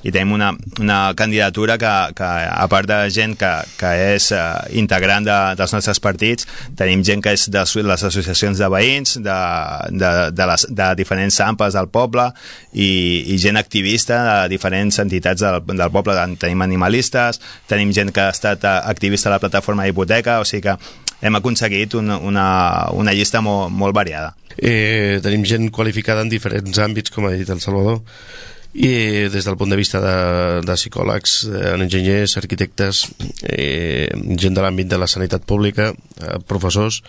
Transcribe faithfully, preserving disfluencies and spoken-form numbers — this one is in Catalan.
i tenim una, una candidatura que, que a part de gent que, que és uh, integrant de, dels nostres partits, tenim gent que és de les associacions de veïns, de, de, de, les, de diferents AMPAs del poble i, i gent activista de diferents entitats del, del poble. Tenim animalistes, tenim gent que ha estat activista a la plataforma d'hipoteca, o sigui que hem aconseguit una, una, una llista molt, molt variada. Eh, tenim gent qualificada en diferents àmbits, com ha dit el Salvador, i des del punt de vista de, de psicòlegs, eh, enginyers, arquitectes, eh, gent de l'àmbit de la sanitat pública, eh, professors.